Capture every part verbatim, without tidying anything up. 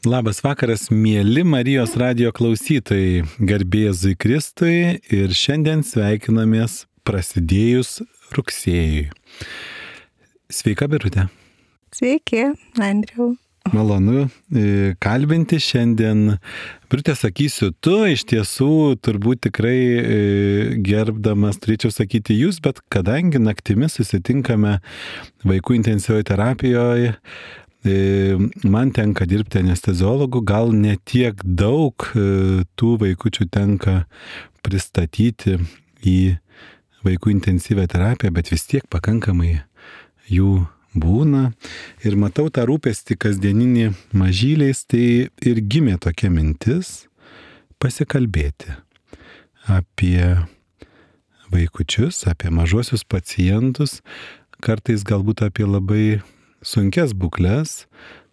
Labas vakaras, mėly Marijos radijo klausytojai, garbė Jėzui Kristui ir šiandien sveikinamės prasidėjus rugsėjui. Sveika, Birutė. Sveiki, Andriau. Malonu kalbinti šiandien. Birutė, sakysiu tu, iš tiesų turbūt tikrai gerbdamas turėčiau sakyti jūs, bet kadangi naktimis susitinkame vaikų intensyvioje terapijoje, man tenka dirbti anesteziologu, gal ne tiek daug tų vaikučių tenka pristatyti į vaikų intensyvią terapiją, bet vis tiek pakankamai jų būna. Ir matau tą rūpestį kasdieninį mažyliais, tai ir gimė tokia mintis pasikalbėti apie vaikučius, apie mažuosius pacientus, kartais galbūt apie labai sunkias būkles,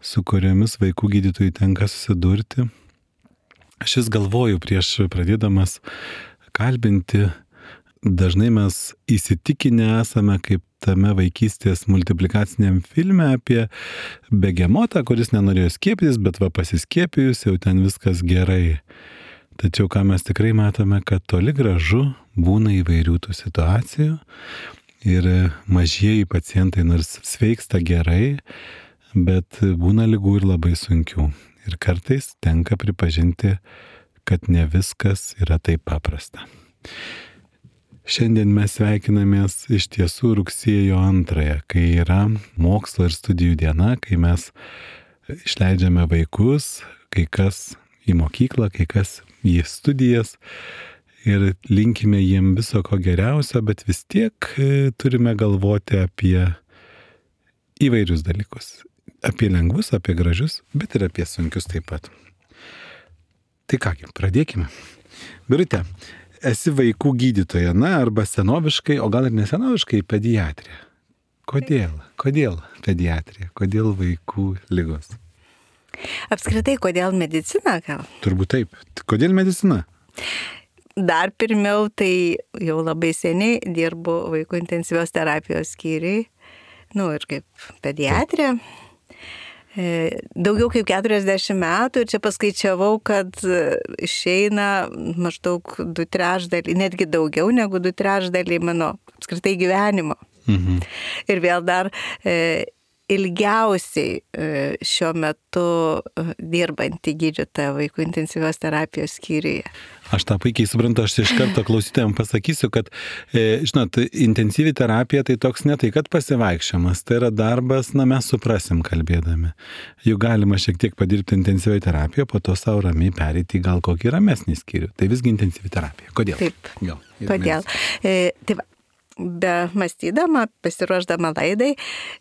su kuriomis vaikų gydytojai tenka susidurti. Aš vis galvoju prieš pradėdamas kalbinti, dažnai mes įsitikinę esame kaip tame vaikystės multiplikaciniam filme apie begemotą, kuris nenorėjo skiepytis, bet va pasiskiepijus jau ten viskas gerai. Tačiau ką mes tikrai matome, kad toli gražu būna įvairių tų situacijų. Ir mažieji pacientai nors sveiksta gerai, bet būna ligų ir labai sunkių. Ir kartais tenka pripažinti, kad ne viskas yra taip paprasta. Šiandien mes sveikinamės iš tiesų rugsėjo antrąją, kai yra mokslo ir studijų diena, kai mes išleidžiame vaikus, kai kas į mokyklą, kai kas į studijas. Ir linkime jiem viso ko geriausio, bet vis tiek turime galvoti apie įvairius dalykus. Apie lengvus, apie gražius, bet ir apie sunkius taip pat. Tai kągi, pradėkime. Birutė, esi vaikų gydytoja, na, arba senoviškai, o gal ir nesenoviškai pediatrija. Kodėl? Kodėl pediatrija? Kodėl vaikų ligos? Apskritai, kodėl medicina gal? Turbūt taip. Kodėl medicina? Dar pirmiau, tai jau labai seniai dirbu vaikų intensyvios terapijos skyriui, nu ir kaip pediatrė. Daugiau kaip keturiasdešimt metų ir čia paskaičiavau, kad išeina maždaug du trečdaliai, netgi daugiau negu du trečdaliai mano apskritai gyvenimo. Mhm. Ir vėl dar e, ilgiausiai šiuo metu dirbanti gydytoja vaikų intensyvios terapijos skyriuje. Aš tą puikiai suprantu, aš iš karto klausytojams pasakysiu, kad, e, žinot, intensyvi terapija tai toks ne tai, kad pasivaikščiojimas, tai yra darbas, na mes suprasim kalbėdami. Juk galima šiek tiek padirbti intensyviai terapiją, po to savo ramiai pereiti gal kokį ramesnį skyrių. Tai visgi intensyvi terapija. Kodėl? Taip, Gal, kodėl? E, tai va. Be mąstydama, pasiruošdama laidai,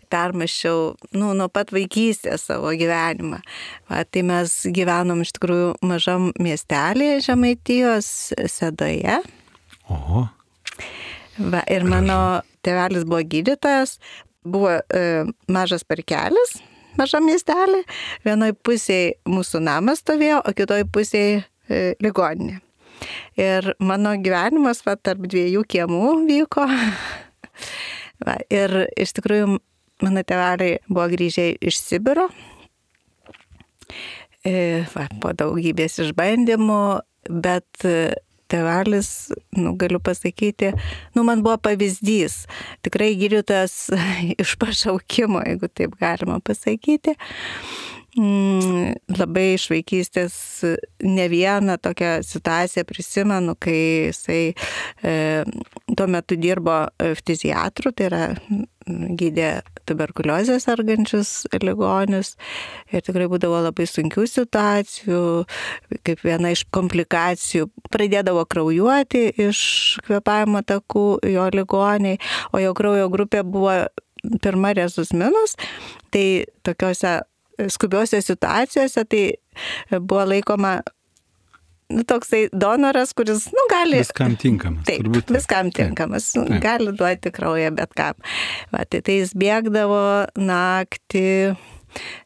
permašiau nu, nuo pat vaikystės savo gyvenimą. Va, tai mes gyvenom iš tikrųjų mažam miestelėje Žemaitijos Sedoje. Oho. Va, ir mano tėvelis buvo gydytojas, buvo e, mažas parkelis, mažam miestelė. Vienoj pusėje mūsų namas stovėjo, o kitoj pusėje e, ligoninė. Ir mano gyvenimas va, tarp dviejų kiemų vyko. Va, ir iš tikrųjų mano tėveliai buvo grįžę iš Sibiro. E, va, po daugybės išbandymų, bet tėvelis, nu, galiu pasakyti, nu, man buvo pavyzdys. Tikrai gydytojas iš pašaukimo, jeigu taip galima pasakyti. Mm, labai iš vaikystės ne vieną tokią situaciją prisimenu, kai jisai e, tuo metu dirbo ftiziatru, tai yra gydė tuberkuliozę sergančius ligonius ir tikrai būdavo labai sunkių situacijų, kaip viena iš komplikacijų pradėdavo kraujuoti iš kvėpavimo takų jo ligoniai, o jo kraujo grupė buvo pirma rezus minus, tai tokiuose skubiuose situacijose tai buvo laikoma nu, toksai donoras, kuris nu, gali... Viskam tinkamas. Taip, turbūt. viskam tinkamas. Taip. Gali duoti kraują bet kam. Va, tai, tai jis bėgdavo naktį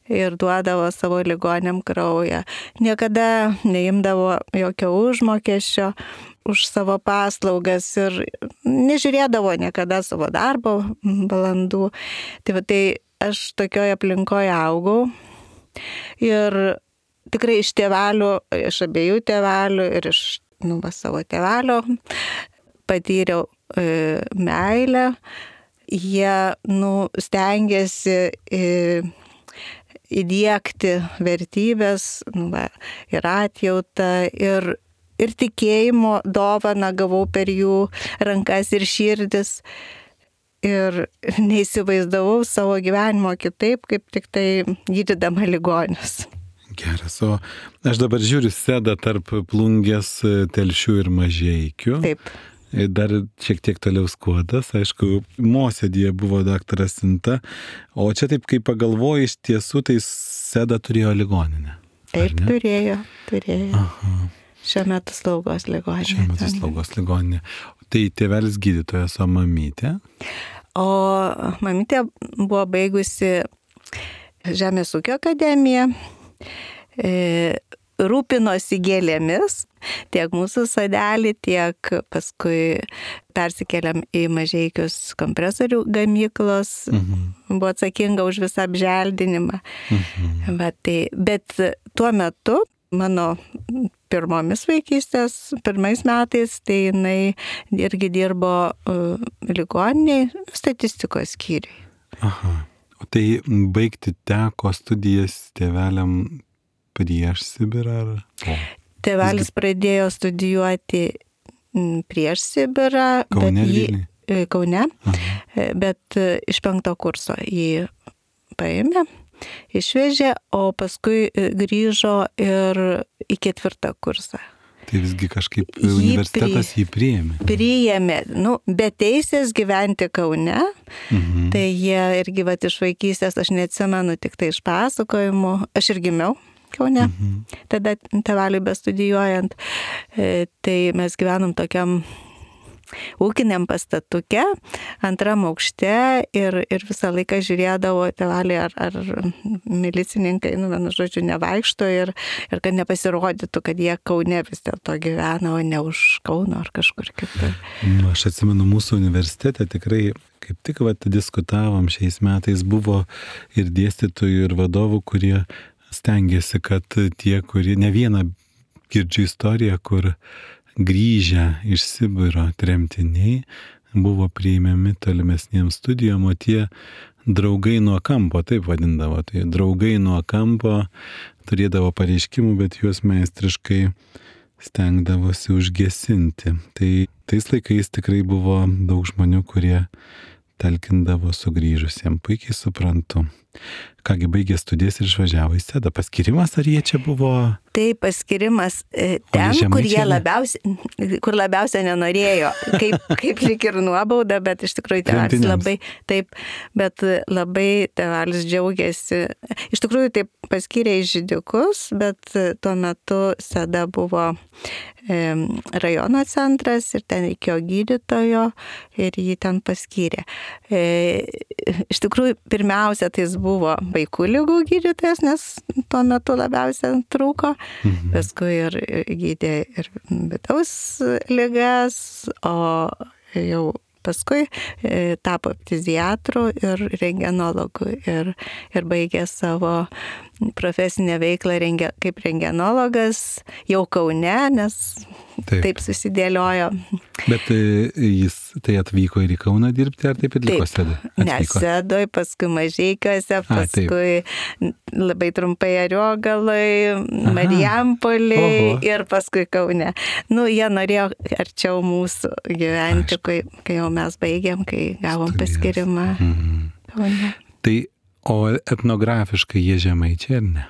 ir duodavo savo ligoniam kraują. Niekada neimdavo jokio užmokesčio už savo paslaugas ir nežiūrėdavo niekada savo darbo valandų. Tai, va, tai aš tokioje aplinkoje augau ir tikrai iš tėvelių, iš abiejų tėvelių ir iš nu, va, savo tėvelio patyriau e, meilę. Jie nu, stengiasi e, įdiegti vertybės nu, va, ir atjautą, ir, ir tikėjimo dovaną gavau per jų rankas ir širdis. Ir neįsivaizdavau savo gyvenimo kitaip, kaip tik tai gydydama ligonius. Geras, o aš dabar žiūriu Sedą tarp Plungės, Telšių ir Mažeikių. Taip. Dar šiek tiek toliau Skuodas, aišku, Mosėdyje buvo daktaras Sinta, o čia taip, kai pagalvoju, iš tiesų, tai Seda turėjo ligoninę. Taip, turėjo, turėjo. Aha. Šiuo metu slaugos ligoninė. Šiuo metu slaugos ligoninė. Tai tėvelis gydytojas, o mamytė? O mamytė buvo baigusi Žemės ūkio akademiją, e, rūpinosi gėlėmis, tiek mūsų sodelį, tiek paskui persikėlėm į Mažeikius kompresorių gamyklos, mhm. buvo atsakinga už visą apželdinimą. Mhm. Bet, tai, bet tuo metu mano pirmomis vaikystės, pirmais metais, tai jinai irgi dirbo uh, ligoniniai statistikos skyriui. Aha. O tai baigti teko studijas tėveliam prieš Sibirą ar po? Tėvelis Visgi... pradėjo studijuoti prieš Sibirą, Kaune, bet jį, Kaune, Aha. bet iš penkto kurso jį paėmė. Išvežė, o paskui grįžo ir į ketvirtą kursą. Tai visgi kažkaip jį universitetas jį priėmė. Priėmė, nu, be teisės gyventi Kaune. Mhm. Tai jie irgi vat iš vaikystės, aš neatsimenu, tik tai iš pasakojimų. Aš ir gimiau Kaune, mhm. tada tėveliui bestudijuojant. E, tai mes gyvenom tokiam ūkiniam pastatuke, antram aukšte ir, ir visą laiką žiūrėdavo tėveliai, ar, ar milicininkai, nu, vienu žodžiu, nevaikšto ir, ir kad nepasirodytų, kad jie Kaune vis dėlto gyvena, o ne už Kauno ar kažkur kitur. Nu, aš atsimenu, mūsų universitete tikrai, kaip tik vat, diskutavom šiais metais, buvo ir dėstytojų, ir vadovų, kurie stengiasi, kad tie, kurie ne vieną girdžiu istoriją, kur grįžę iš Sibiro tremtiniai buvo priimami tolimesniems studijom, o tie draugai nuo kampo, taip vadindavo, tai draugai nuo kampo turėdavo pareiškimų, bet juos meistriškai stengdavosi užgesinti. Tai tais laikais tikrai buvo daug žmonių, kurie talkindavo sugrįžusiems, puikiai suprantu. Kągi baigė studijas ir išvažiavo į Sedą. Paskirimas ar jie čia buvo? Tai paskirimas ten, kur jie labiausiai, kur labiausiai nenorėjo, kaip, kaip lyg ir nuobauda, bet iš tikrųjų tėvelis labai, taip, bet labai tėvelis džiaugiasi. Iš tikrųjų taip paskyrė į Židikus, bet tuo metu Seda buvo e, rajono centras ir ten reikėjo gydytojo ir jį ten paskyrė. E, iš tikrųjų, pirmiausia, tai jis buvo vaikų ligų gydytojas, nes tuo metu labiausiai trūko. Mhm. Paskui ir gydė ir vidaus ligas, o jau paskui e, tapo ftiziatru ir rentgenologu ir, ir baigė savo profesinę veiklą renge, kaip rentgenologas jau Kaune, nes taip, taip susidėliojo. Bet jis tai atvyko ir į Kauną dirbti, ar taip ir liko Sedoj? Ne, Sedoj, paskui Mažeikiuose, paskui A, labai trumpai Ariogaloj, Marijampolėj ir paskui Kaune. Nu, jie norėjo arčiau mūsų gyventi, kai, kai jau mes baigėm, kai gavom Studijas. Paskirimą mhm. Kaune. Tai o etnografiškai jie žemaičiai, ar ne?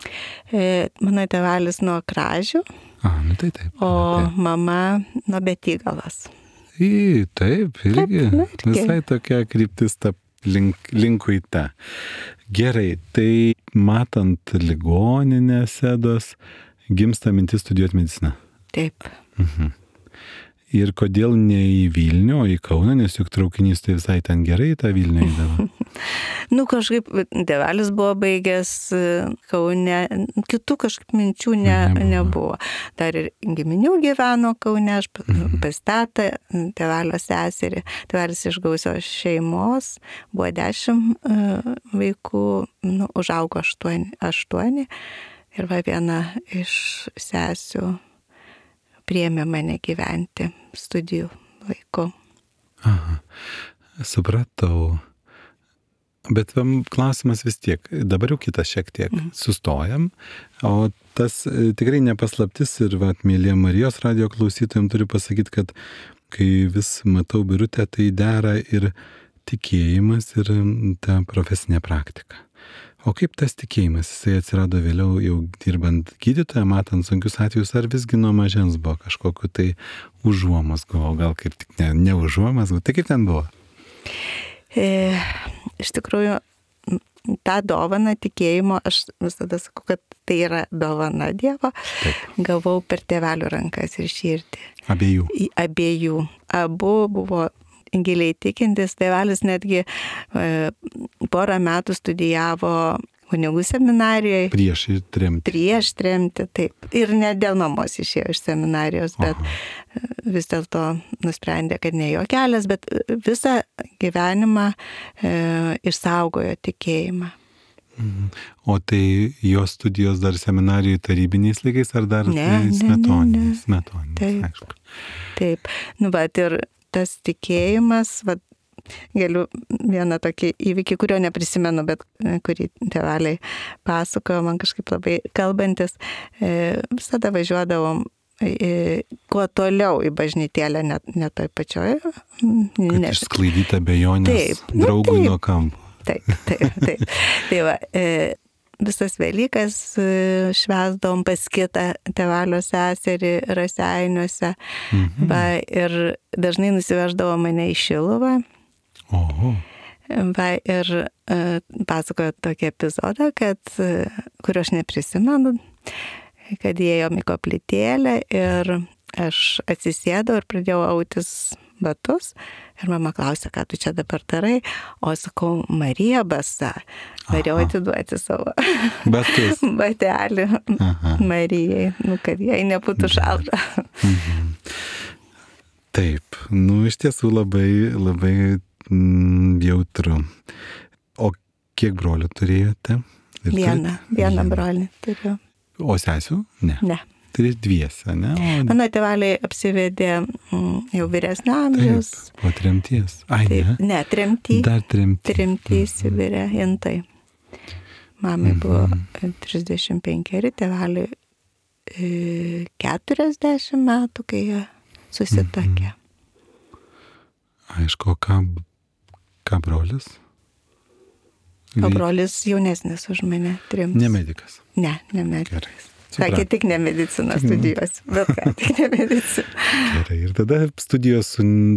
E, mano tėvelis nuo Kražių, A, nu tai taip, o taip. mama nuo Betygalos. Į, taip, irgi. Taip, nu, irgi. Visai tokia kryptis ta link, linkui ta. Gerai, tai matant ligoninę Sedos, gimsta mintis studijuoti mediciną. Taip. Mhm. Ir kodėl ne į Vilnių, o į Kauną, nes juk traukinys tai visai ten gerai tą Vilnių įdavo. Nu, kažkaip tėvelis buvo baigęs Kaune, kitų kažkaip minčių ne, nebuvo. nebuvo. Dar ir giminių gyveno Kaune, aš pastatą tėvelio seserį. Tėvelis iš gausios šeimos, buvo dešimt vaikų, nu, užaugo aštuoni. aštuoni. Ir va viena iš sesių priėmė mane gyventi studijų laiku. Aha, supratau. Bet klausimas vis tiek, dabar jau kitas šiek tiek, mm. sustojam, o tas tikrai nepaslaptis ir, va, mėly Marijos radijo klausytojams turiu pasakyti, kad kai vis matau Birutę, tai dera ir tikėjimas, ir ta profesinė praktika. O kaip tas tikėjimas, jisai atsirado vėliau jau dirbant gydytoją, matant sunkius atvejus, ar visgi nuo mažens buvo kažkokiu tai užuomazgų, o gal kaip tik ne, ne užuomazgų, tai kaip ten buvo? E, iš tikrųjų, tą dovaną tikėjimo, aš visada sakau, kad tai yra dovana Dievo, taip, gavau per tėvelių rankas ir širdį. Abiejų. Į abiejų. Abu buvo giliai tikintis, tėvelis netgi e, porą metų studijavo kunigų seminarijoje. Prieš tremtį. Prieš tremtį, taip. Ir ne dėl mamos išėjo iš seminarijos, bet Aha. vis dėlto nusprendė, kad ne jo kelias, bet visą gyvenimą e, išsaugojo tikėjimą. Mhm. O tai jo studijos dar seminarijoje tarybiniais laikais ar dar ne, smetoniniais? Ne, ne, ne. Taip, aišku. Taip. Nu, bet ir tas tikėjimas, vat, galiu vieną tokį įvykį, kurio neprisimenu, bet kurį tėveliai pasakojo, man kažkaip labai kalbantis, e, visada važiuodavom e, kuo toliau į bažnytėlę, net ne toj pačioj. Kad ne, išsklaidyta abejonės draugui nuo kampo. Taip, taip, taip. Tai va, e, visas Velykas švęsdavom pas kitą tėvalio seserį Raseiniuose, mhm. va, ir dažnai nusiveždavo mane į Šiluvą. Oho. Va, ir e, pasakojo tokį epizodą, kad, kurio aš neprisimenu, kad įėjom į koplytėlę ir aš atsisėdau ir pradėjau autis batus. Ir mama klausė, ką tu čia dabar darai, o sakau, Marija basa. Norėjau atiduoti savo batus. Batelį Aha. Marijai, nu, kad jai nebūtų šalta. Mhm. Taip, nu iš tiesų labai, labai mm, jautru. O kiek brolių turėjote? Ir vieną, turite? vieną brolį turiu. O sesių? Ne. Ne. Tai dviese, ne? O... Mano tėveliai apsivedė mm, jau vyresnio amžiaus. Taip, po tremties. Ai, Taip, ne? Ne, tremty. Dar tremty. Tremty Sibire, Intai. Mamai mm-hmm. buvo trisdešimt penkeri, tėveliai e, keturiasdešimt metų, kai jie susituokė. Mm-hmm. Aišku, ką, ką brolis? O brolis jaunesnis už mane, trims. Ne medikas? Ne, ne medikas. Gerai. Sakė, tik ne medicina studijos, bet ką, tik ne medicina. Gerai, ir tada studijos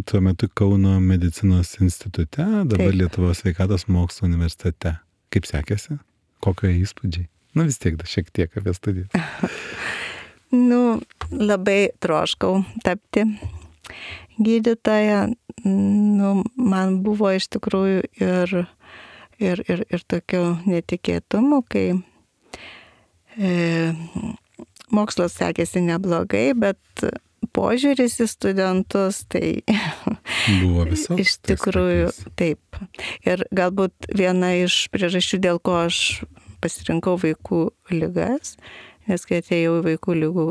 tuo metu Kauno medicinos institute, dabar Taip. Lietuvos sveikatos mokslo universitete. Kaip sekėsi? Kokio įspūdžiai? Nu vis tiek, da, šiek tiek apie studijas. Nu, labai troškau tapti gydytoja. Nu, man buvo iš tikrųjų ir, ir, ir, ir tokių netikėtumų, kai E, mokslas sekėsi neblogai, bet požiūris į studentus tai buvo visoks. Iš tikrųjų, taip. Ir galbūt viena iš priežasčių, dėl ko aš pasirinkau vaikų ligas, nes kai atėjau į vaikų ligų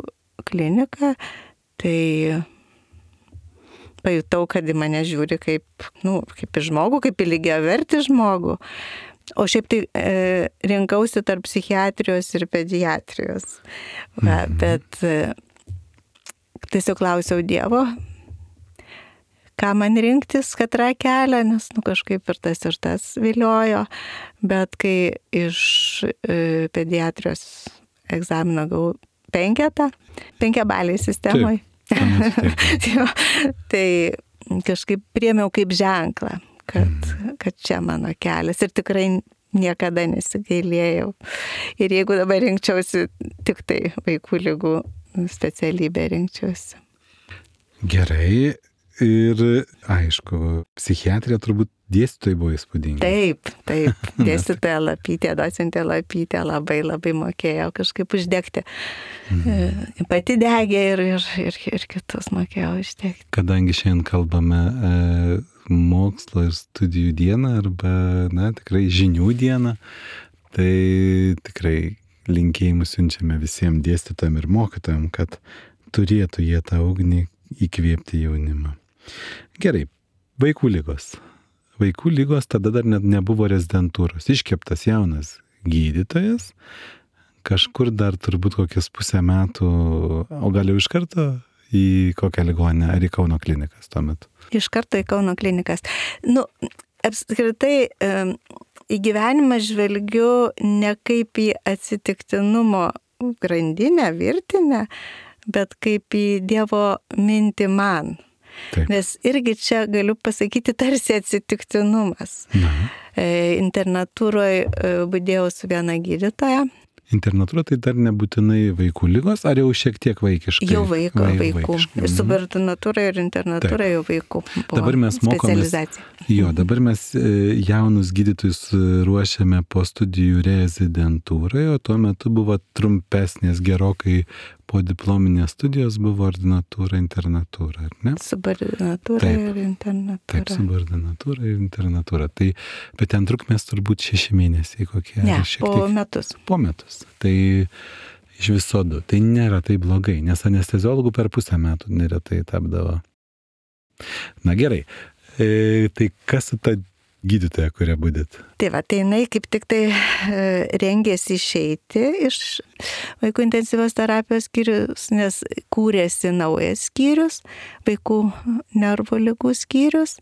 kliniką, tai pajutau, kad į mane žiūri kaip, nu, kaip į žmogų, kaip į lygiavertį žmogų. O šiaip tai e, rinkausi tarp psichiatrijos ir pediatrijos. Va, mhm. Bet e, tiesiog klausiau Dievo, ką man rinktis, katrą kelią, nes nu, kažkaip ir tas ir tas viliojo. Bet kai iš e, pediatrijos egzamino gavau penketą, penkiabaliai sistemoje, tai kažkaip priėmiau kaip ženklą. Kad, kad čia mano kelias ir tikrai niekada nesigailėjau. Ir jeigu dabar rinkčiausi, tik tai vaikų ligų specialybę rinkčiausi. Gerai. Ir aišku, psichiatrija turbūt dėstytojai buvo įspūdingi. Taip, taip. Dėstytoja Lapytė, docentė Lapytė labai labai mokėjo kažkaip uždegti. Mhm. Pati degė ir, ir, ir, ir kitus mokėjo uždegti. Kadangi šiandien kalbame e, mokslo ir studijų dieną arba, na, tikrai žinių dieną, tai tikrai linkėjimus siunčiame visiems dėstytojams ir mokytojams, kad turėtų jie tą ugnį įkvėpti jaunimą. Gerai, vaikų lygos. Vaikų lygos tada dar net nebuvo rezidentūros. Iškeptas jaunas gydytojas, kažkur dar turbūt kokias pusę metų, o gal jau iš karto į kokią ligoninę ar į Kauno klinikas tuo metu? Iš karto į Kauno klinikas. Nu, apskritai, į gyvenimą žvelgiu ne kaip į atsitiktinumo grandinę, virtinę, bet kaip į Dievo mintį man. Taip. Nes irgi čia galiu pasakyti tarsi atsitiktinumas. Na. Internatūroje budėjau su viena gydytoja. Internatūra tai dar nebūtinai vaikų lygos, ar jau šiek tiek vaikiškai? Jau vaiko, Vai, vaikų. Ir subordinatūra ir internatūra jau vaikų. Dabar mes mokomės. Jo, dabar mes jaunus gydytojus ruošiame po studijų rezidentūroje, o tuo metu buvo trumpesnės gerokai po diplominės studijos buvo ordinatūra, internatūra, ar ne? Subordinatūra taip, ir internatūra. Taip, subordinatūra ir internatūra. Tai, bet ten trukmės turbūt šeši mėnesiai kokie. Ne, po tiek, metus. Po metus. Tai iš viso du. Tai nėra taip blogai, nes anesteziologų per pusę metų neretai tapdavo. Na gerai, e, tai kas su ta gydytoja, kurią budėt? Tai va, tai jinai kaip tik tai e, rengėsi išeiti iš vaikų intensyvios terapijos skyrius, nes kūrėsi naujas skyrius, vaikų nervų ligų skyrius.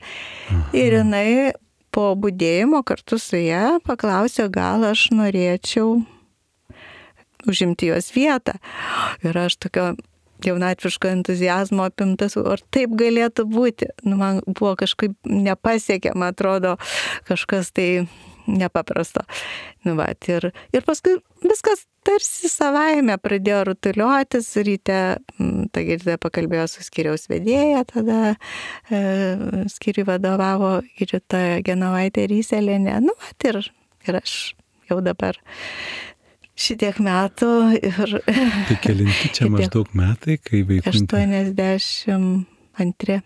Aha. Ir jinai po budėjimo kartu su ją paklausė, gal aš norėčiau užimti jos vietą. Ir aš tokio jaunatviško entuziazmo apimtas, ar taip galėtų būti. Nu, man buvo kažkaip nepasiekiama, atrodo, kažkas tai nepaprasto. Nu, va, ir, ir paskui viskas tarsi savaime pradėjo rutuliotis, ryte, ta gydytoja pakalbėjo su skyriaus vedėja, tada e, skyriui vadovavo gydytoja Genovaitė Ryselėnė. Nu, va, ir, ir aš jau dabar šitiek metų ir... Tai kelinti čia maždaug metai, kai vaikų... aštuoniasdešimt antri.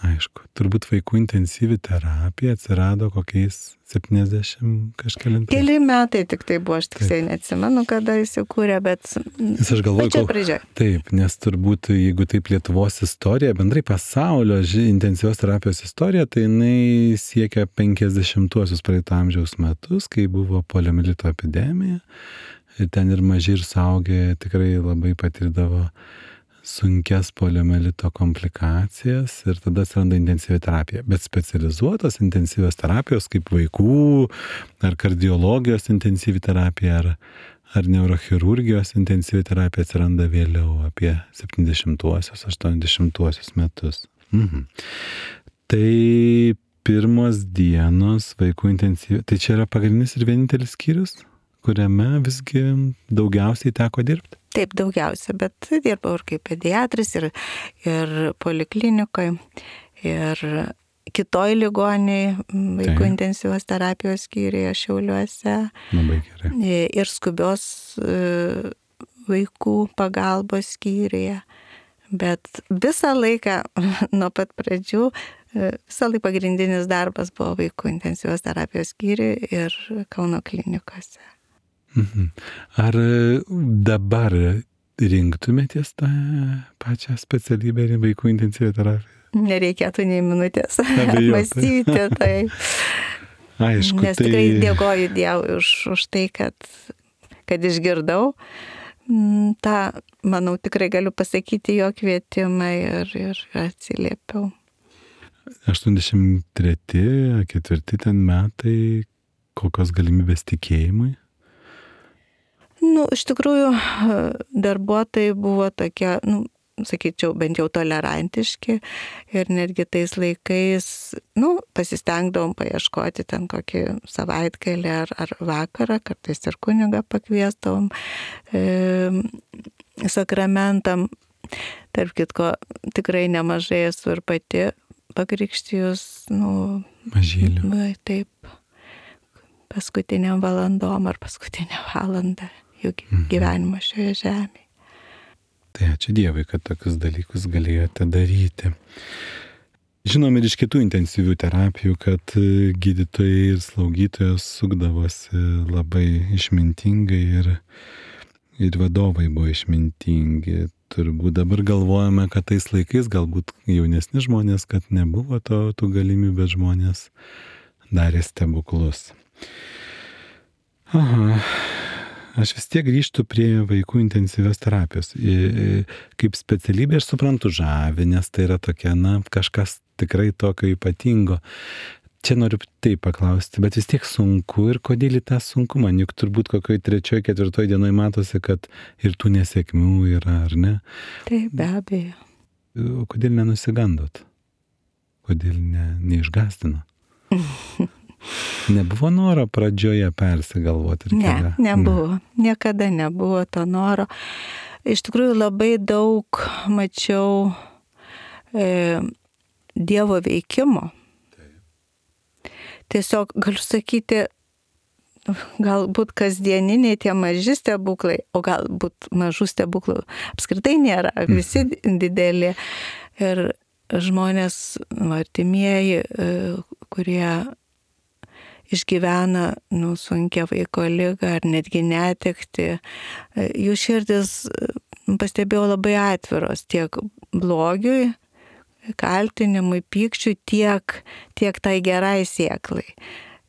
Aišku, turbūt vaikų intensyvi terapija atsirado kokiais septyniasdešimt kažkelintais. Keli metai tik tai buvo, aš tiksliai neatsimenu, kada įsikūrė, bet... Nes aš galvoju, čia pradžioje. Taip, nes turbūt, jeigu taip Lietuvos istorija, bendrai pasaulio intensyvios terapijos istorija, tai jinai siekia penkiasdešimtuosius praeito amžiaus metus, kai buvo poliomielito epidemija. Ir ten ir maži ir suaugę tikrai labai patirdavo sunkias poliomielito komplikacijas ir tada atsiranda intensyvi terapija. Bet specializuotos intensyvios terapijos kaip vaikų ar kardiologijos intensyvi terapija ar, ar neurochirurgijos intensyvi terapija atsiranda vėliau apie septyniasdešimtuosius, aštuoniasdešimtuosius metus. Mhm. Tai pirmos dienos vaikų intensyvi, tai čia yra pagrindinis ir vienintelis skyrius, kuriame visgi daugiausiai teko dirbti? Taip, daugiausia, bet dirbau ir kaip pediatras, ir, ir poliklinikoje, ir kitoj ligoniai, vaikų Taip. intensyvios terapijos skyriuje Šiauliuose. Labai gerai. Ir skubios vaikų pagalbos skyriuje. Bet visą laiką, nuo pat pradžių, visą laiką pagrindinis darbas buvo vaikų intensyvios terapijos skyriuje ir Kauno klinikose. Ar dabar rinktumėtės tą pačią specialybę ir vaikų intensyvią terapiją? Nereikėtų nei minutės mąstyti tai. Aišku, nes tikrai tai... dėkoju Dievui už, už tai, kad, kad išgirdau. Ta, manau, tikrai galiu pasakyti jo kvietimą ir, ir atsiliepiau. aštuoniasdešimt treti, ketvirti ten metai, kokios galimybės tikėjimui? Nu, iš tikrųjų, darbuotojai buvo tokie, nu, sakyčiau, bent jau tolerantiški ir netgi tais laikais, nu, pasistengdavom paieškoti ten kokį savaitgalį ar, ar vakarą, kartais ir kunigą pakviesdavom e, sakramentam. Tarp kitko, tikrai nemažai esu ir pati pakrikštijus, nu, mažylių. Taip, paskutiniam valandom ar paskutinę valandą jų gyvenimo šioje žemėje. Tai ačiū Dievui, kad tokius dalykus galėjote daryti. Žinom ir iš kitų intensyvių terapijų, kad gydytojai ir slaugytojos sukdavosi labai išmintingai ir ir vadovai buvo išmintingi. Turbūt dabar galvojame, kad tais laikais galbūt jaunesni žmonės, kad nebuvo to, tų galimybių, bet žmonės darė stebuklus. Aha. Aš vis tiek grįžtu prie vaikų intensyvios terapijos. Kaip specialybė aš suprantu žavi, nes tai yra tokia, na, kažkas tikrai tokio ypatingo. Čia noriu taip paklausti, bet vis tiek sunku ir kodėl į tą sunkumą, juk turbūt kokioj trečioj, ketvirtoj dienoj matosi, kad ir tų nesėkmių yra, ar ne? Taip, be abejo. O kodėl nenusigandot? Kodėl ne, neišgąsdino? Nebuvo noro pradžioje persigalvoti? Ir ne, kelią? nebuvo. Ne. Niekada nebuvo to noro. Iš tikrųjų labai daug mačiau e, Dievo veikimo. Tiesiog galiu sakyti, galbūt kasdieniniai tie maži stebuklai, o galbūt mažų stebuklų apskritai nėra, visi dideli. Ir žmonės, artimieji, kurie išgyvena nu, sunkia vaiko ligą ar netgi netekti, jų širdis, pastebėjau, labai atviros tiek blogiui, kaltinimui, pykčiui, tiek, tiek tai gerai sėklai.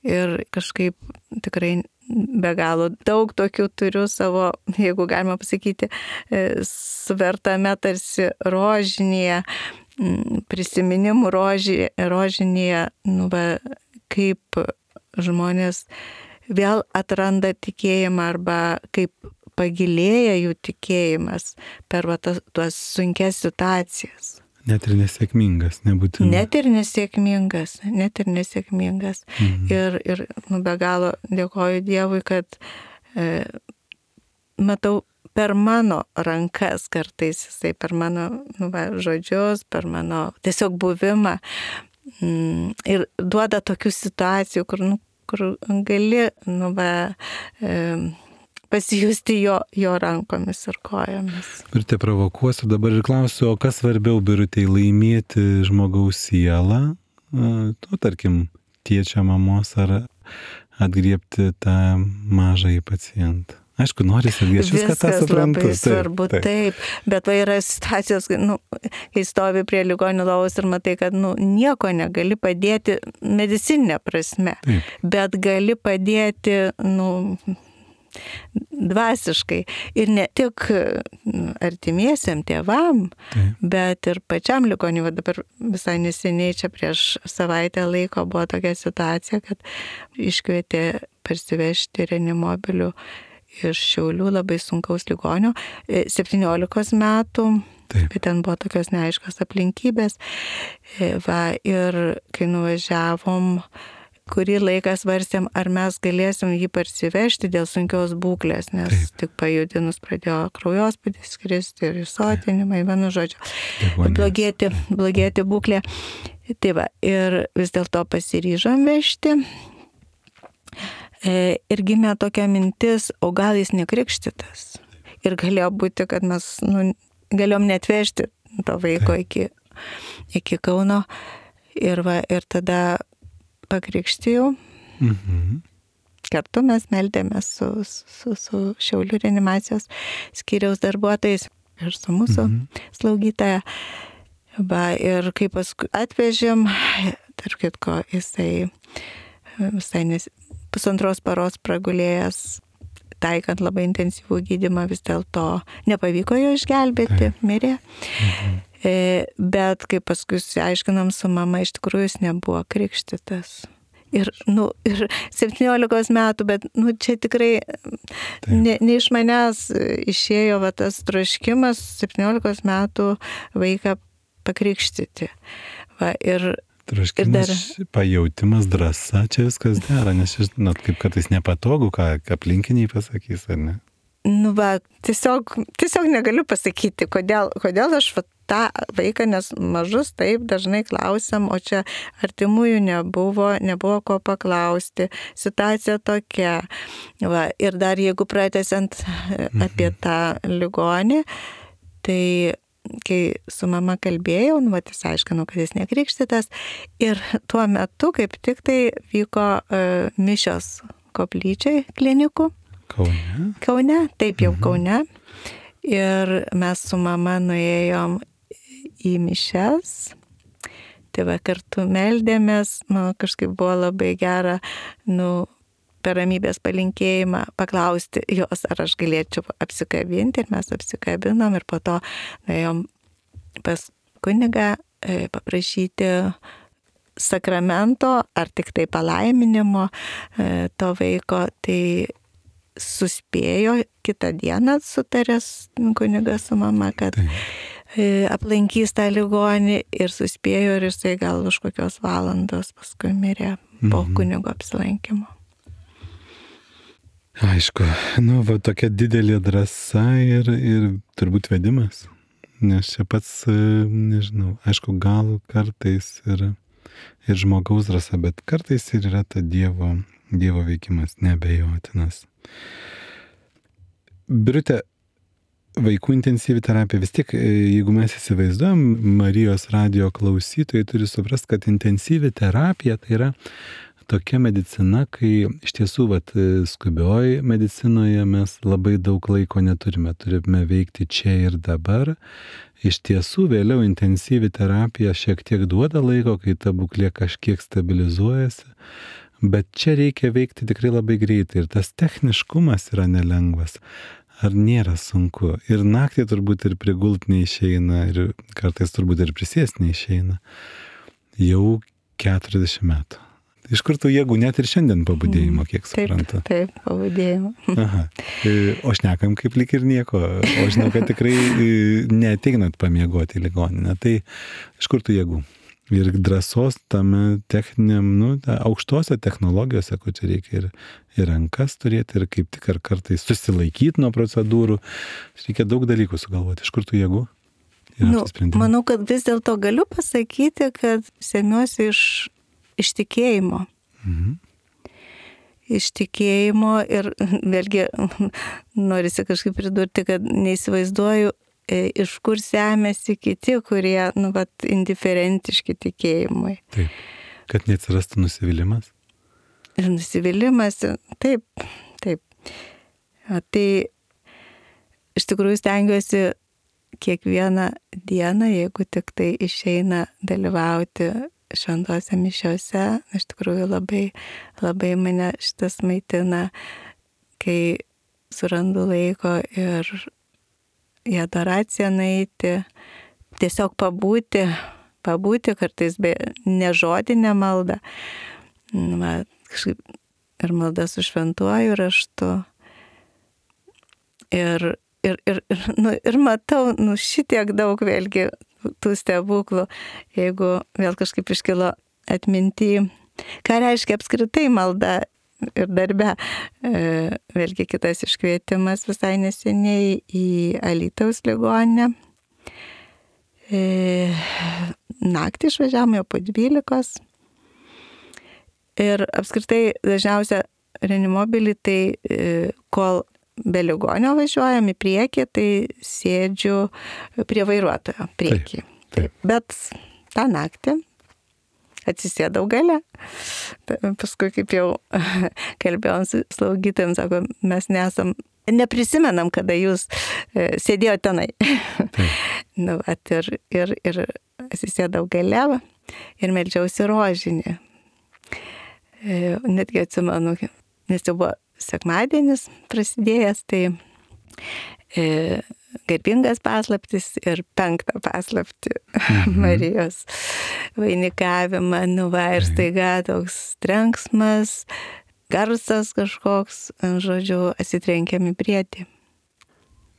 Ir kažkaip tikrai be galo daug tokių turiu savo, jeigu galima pasakyti, suvertame tarsi rožinėje, prisiminimų roži, rožinėje, nu, va, kaip žmonės vėl atranda tikėjimą arba kaip pagilėja jų tikėjimas per va, tas, tuos sunkias situacijas. Net ir nesėkmingas, nebūtinai. Net ir nesėkmingas, net ir nesėkmingas. Mhm. Ir, ir nu, be galo dėkoju Dievui, kad e, matau per mano rankas kartais, jisai per mano nu, va, žodžius, per mano tiesiog buvimą mm, ir duoda tokių situacijų, kur, nu, kur gali nu, va, e, pasijusti jo, jo rankomis ir kojomis. Ir te provokuosiu dabar ir klausiu, o kas svarbiau, Birutei, laimėti žmogaus sielą, nu, tarkim, tėčio mamos ar atgriebti tą mažąjį pacientą? Aišku, norisi irgi, aš viską tą suprantu. Labai svarbu, taip, taip. Bet va yra situacijos, nu, kai stovi prie ligonių lovos ir matai, kad nu, nieko negali padėti medicininė prasme, taip. Bet gali padėti, nu, dvasiškai. Ir ne tik artimiesiam tėvam, taip. Bet ir pačiam ligoniui. Va dabar visai neseniai čia prieš savaitę laiko buvo tokia situacija, kad iškvietė parsivežti reanimobilių iš Šiaulių labai sunkaus ligonio, septyniolikos metų, taip. Bet ten buvo tokios neaiškios aplinkybės. Va, ir kai nuvažiavom, kurį laiką svarstėm, ar mes galėsim jį parsivežti dėl sunkios būklės, nes taip. Tik pajudinus pradėjo kraujospūdis kristi ir įsotinimai, vienu žodžiu, blogėti, blogėti būklė. Tai va, ir vis dėlto pasiryžom vežti. E, ir gimė tokia mintis, o gal jis nekrikštytas. Ir galėjo būti, kad mes nu, galėjom net vežti to vaiko iki, iki Kauno. Ir, va, ir tada pakrikštijau. Mhm. Kartu mes meldėmės su, su, su Šiaulių reanimacijos skyriaus darbuotojais ir su mūsų mhm. slaugytoja. Va, ir kai paskui atvežėm, tarp kitko, jisai visai nes, pusantros paros pragulėjęs, taikant labai intensyvų gydymą, vis dėlto nepavyko jo išgelbėti, mirė. Mhm. E, bet kai paskui aiškinam su mama, iš tikrųjų jis nebuvo krikštytas. Ir, nu, ir septyniolikos metų, bet nu, čia tikrai ne, ne iš manęs išėjo va, tas troškimas septyniolikos metų vaiką pakrikštyti. Va, ir troškimas, dar... pajautimas, drąsa, čia viskas dera, nes žinot, kaip kartais nepatogu, ką aplinkiniai pasakys, ar ne? Nu va, tiesiog, tiesiog negaliu pasakyti, kodėl, kodėl aš va, tą vaiką, nes mažus taip dažnai klausiam, o čia artimųjų nebuvo, nebuvo ko paklausti, situacija tokia. Va, ir dar jeigu pratęsiant mhm. apie tą ligonį, tai kai su mama kalbėjau, nu, vat, jis aiškino, kad jis nekrikštytas. Ir tuo metu kaip tik tai vyko uh, mišios koplyčiai klinikų. Kaune? Kaune, taip jau Mhm. Kaune. Ir mes su mama nuėjom į mišias. Tai va kartu meldėmės, nu, kažkaip buvo labai gera, nu, per ramybės palinkėjimą paklausti jos, ar aš galėčiau apsikabinti. Ir mes apsikabinom ir po to nuėjom pas kunigą e, paprašyti sakramento ar tik tai palaiminimo e, to vaiko. Tai suspėjo kitą dieną sutaręs kunigas su mama, kad Taip. aplankys tą ligonį ir suspėjo ir jisai gal už kokios valandos paskui mirė po Mhm. kunigo apsilankimo. Aišku, nu, va tokia didelė drąsa ir, ir turbūt vedimas. Nes čia pats, e, nežinau, aišku, gal kartais ir, ir žmogaus drąsa, bet kartais ir yra ta Dievo, dievo veikimas neabejotinas. Birute, vaikų intensyvi terapija, vis tiek, jeigu mes įsivaizduojam, Marijos radijo klausytojai turi suprasti, kad intensyvi terapija tai yra tokia medicina, kai iš tiesų, vat, skubioj medicinoje mes labai daug laiko neturime, turime veikti čia ir dabar. Iš tiesų, vėliau intensyvi terapija šiek tiek duoda laiko, kai ta būklė kažkiek stabilizuojasi, bet čia reikia veikti tikrai labai greitai ir tas techniškumas yra nelengvas. Ar nėra sunku? Ir naktį turbūt ir prigult neišeina, ir kartais turbūt ir prisėst neišeina. Jau keturiasdešimt metų. Iš kur tų jėgų, net ir šiandien pabudėjimo, kiek suprantu? Taip, taip, pabudėjimo. Aha. O šnekam kaip lyg ir nieko. O žinau, kad tikrai neateinat pamiegoti į ligoninę. Tai iš kur tų jėgų? Ir drąsos tame techniniam, nu, aukštose technologijose, kur čia reikia ir, ir rankas turėti, ir kaip tik ar kartais susilaikyti nuo procedūrų. Reikia daug dalykų sugalvoti. Iš kur tų jėgų? Nu, manau, kad vis dėlto galiu pasakyti, kad semiuosi iš, iš tikėjimo. Mhm. Iš tikėjimo ir vėlgi norisi kažkaip pridurti, kad neįsivaizduoju, iš kur semėsi kiti, kurie, nu, vat, indiferentiški tikėjimui. Taip, kad neatsirastų nusivylimas. Ir nusivylimas, taip, taip. O tai iš tikrųjų stengiuosi kiekvieną dieną, jeigu tik tai išeina dalyvauti šventose mišiose, iš tikrųjų labai, labai mane šitas maitina, kai surandu laiko ir į adoraciją nueiti, tiesiog pabūti, pabūti kartais be nežodinę maldą. Va, kažkaip ir maldą su šventuoju raštu. Ir, ir, ir, ir, nu, ir matau, nu, šitiek daug vėlgi tų stebuklų, jeigu vėl kažkaip iškilo atminty, ką reiškia apskritai malda. Ir darbe, vėlgi kitas iškvietimas visai neseniai į Alytaus ligoninę. Naktį išvažiavome jau po dvylikos. Ir apskritai dažniausia reanimobilį, tai kol be ligonio važiuojam į priekį, tai sėdžiu prie vairuotojo priekį. Taip, taip. Bet tą naktį atsisėdau gale. Paskui, kaip jau kalbėjom su slaugytojom, sako, mes nesam, neprisimenam, kada jūs sėdėjote tenai. Nu, at, ir, ir, ir atsisėdau gale ir meldžiausi rožinį. Netgi atsimenu, nes jau buvo sekmadienis prasidėjęs, tai e, garbingas paslaptis ir penktą paslaptį mhm. Marijos vainikavimą, nu va, ir staiga toks trenksmas, garsas kažkoks, žodžiu, atsitrenkėm į briedį.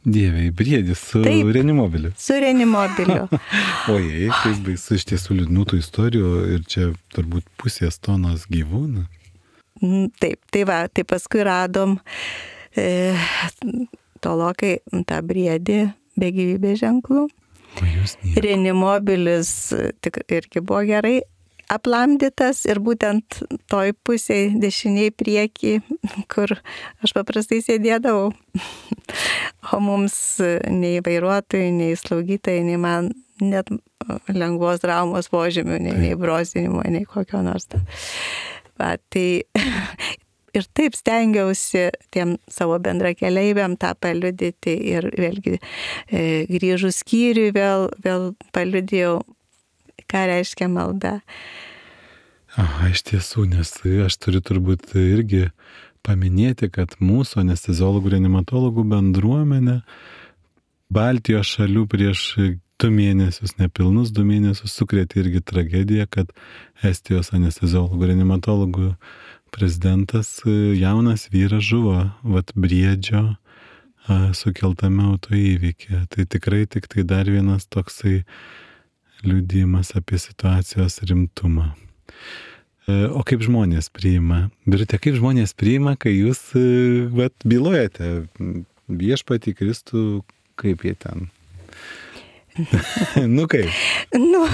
Dieve, į briedį su Taip, reanimobiliu. Su reanimobiliu. Ojei, kaip baisu, iš tiesų liūdnų tų istorijų ir čia turbūt pusės tonos gyvūnų. Taip, tai va, tai paskui radom e, tolokai tą briedį be gyvybės ženklų. Reanimobilis tik irgi buvo gerai aplamdytas ir būtent toj pusėj dešiniai priekį, kur aš paprastai sėdėdavau. O mums nei vairuotojai, nei slaugytojai, nei man net lengvos traumos požymių, nei, nei brozinimo, nei kokio nors. Va, tai ir taip stengiausi tiem savo bendrakeleiviam tą paliudyti ir vėlgi e, grįžus skyriui vėl, vėl paliudėjau, ką reiškia malda. Aha, iš tiesų, nes aš turiu turbūt irgi paminėti, kad mūsų anesteziologų reanimatologų bendruomenė Baltijos šalių prieš du mėnesius, nepilnus du mėnesius sukrėtė irgi tragediją, kad Estijos anesteziologų reanimatologų prezidentas, jaunas vyras, žuvo vat Briedžio sukeltame autoįvykyje. Tai tikrai tik tai dar vienas toksai liudijimas apie situacijos rimtumą. O kaip žmonės priima? Birute, kaip žmonės priima, kai jūs vat, bylojate viešpatį Kristų, kaip jie ten? Nu kaip? Nu,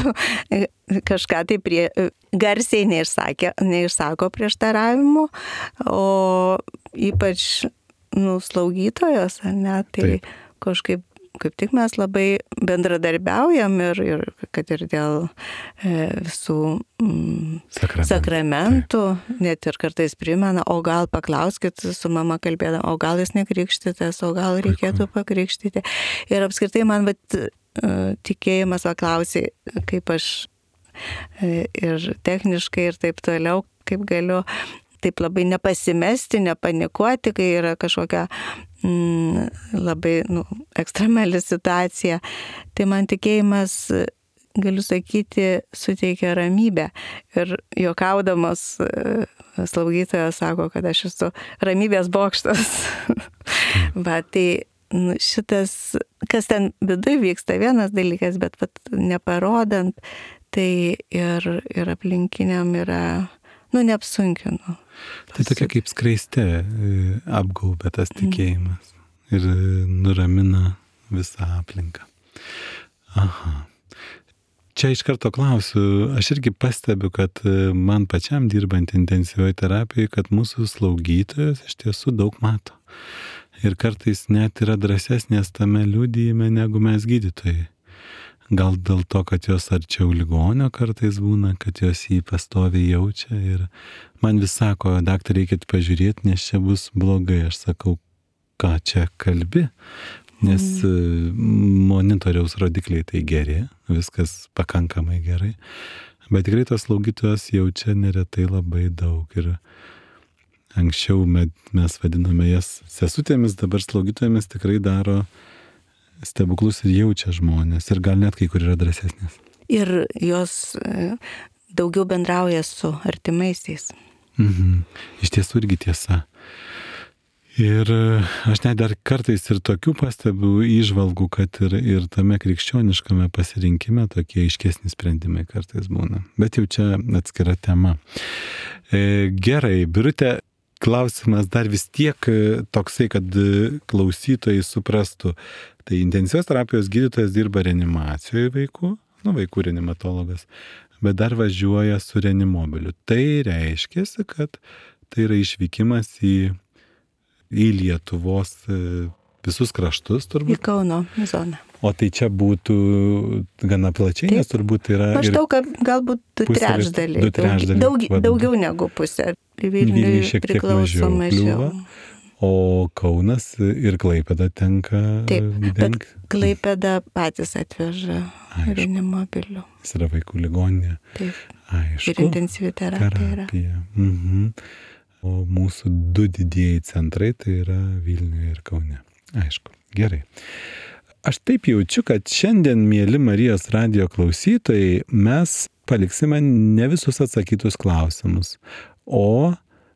kažką tai prie, garsiai neišsakė, neišsako prieštaravimų, o ypač nu, slaugytojos, ar ne, tai Taip. kažkaip kaip tik mes labai bendradarbiaujam ir, ir kad ir dėl e, visų mm, sakramentų, sakramentų net ir kartais primena, o gal paklauskit, su mama kalbėdama, o gal jis nekrikštytas, o gal reikėtų pakrikštyti. Ir apskritai man vat, tikėjimas paklausė, kaip aš e, ir techniškai ir taip toliau, kaip galiu taip labai nepasimesti, nepanikuoti, kai yra kažkokia mm, labai nu, ekstremali situacija. Tai man tikėjimas, galiu sakyti, suteikia ramybę. Ir juokaudamas slaugytojas sako, kad aš esu ramybės bokštas. Va, tai nu, šitas, kas ten viduje vyksta, vienas dalykas, bet vat, neparodant, tai ir, ir aplinkiniam yra, nu, neapsunkinu. Tai tokia kaip skraiste apgaubė tas tikėjimas ir nuramina visą aplinką. Aha. Čia iš karto klausiu, aš irgi pastebiu, kad man pačiam dirbant intensyvioje terapijoje, kad mūsų slaugytojos iš tiesų daug mato. Ir kartais net yra drąsesnės tame liudijime negu mes gydytojai. Gal dėl to, kad jos arčiau ligonio kartais būna, kad jos jį pastoviai jaučia ir man vis sako, daktarė, reikėtų pažiūrėti, nes čia bus blogai. Aš sakau, ką čia kalbi, nes mm. monitoriaus rodikliai tai geri, viskas pakankamai gerai, bet tikrai tos slaugytojos jaučia neretai labai daug ir anksčiau mes vadiname jas sesutėmis, dabar slaugytojomis tikrai daro stebuklus ir jaučia žmonės ir gal net kai kur yra drąsesnės. Ir jos daugiau bendrauja su artimaisiais. Mhm. Iš tiesų irgi tiesa. Ir aš net dar kartais ir tokių pastebiu įžvalgų, kad ir, ir tame krikščioniškame pasirinkime tokie aiškesni sprendimai kartais būna. Bet jau čia atskira tema. E, gerai, Birute, klausimas dar vis tiek toksai, kad klausytojai suprastų. Tai intensyvios terapijos gydytojas dirba reanimacijoje vaikų, nu vaikų reanimatologas, bet dar važiuoja su reanimobiliu. Tai reiškia, kad tai yra išvykimas į, į Lietuvos visus kraštus turbūt. Į Kauno zoną. O tai čia būtų gana plačiai, Taip. Nes turbūt yra... Maždaug galbūt du trečdaliai. Du trečdaliai. Daug, daugiau negu pusė. Vilniui šiek tiek mažiau. mažiau. O Kaunas ir Klaipėda tenka... Taip, bet Klaipėda patys atveža reanimobilių. Jis yra vaikų ligoninė. Taip. Aišku. Ir intensyvi terapija yra. Mhm. O mūsų du didieji centrai tai yra Vilniuje ir Kaune. Aišku. Gerai. Aš taip jaučiu, kad šiandien, mėly Marijos radijo klausytojai, mes paliksime ne visus atsakytus klausimus, o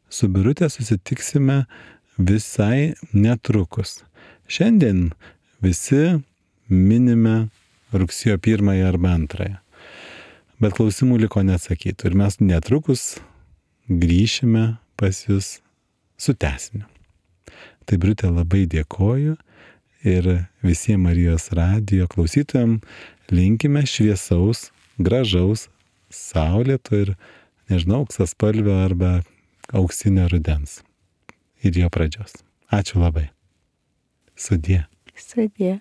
su Birute susitiksime visai netrukus. Šiandien visi minime rugsėjo pirmąją arba antrąją. Bet klausimų liko neatsakytų ir mes netrukus grįšime pas jūs su tęsiniu. Tai Birute labai dėkoju ir visiems Marijos radijo klausytojams linkime šviesaus, gražaus, saulėto ir, nežinau, auksaspalvio arba auksinio rudens. Ir jo pradžios. Ačiū labai. Sudie. Sudie.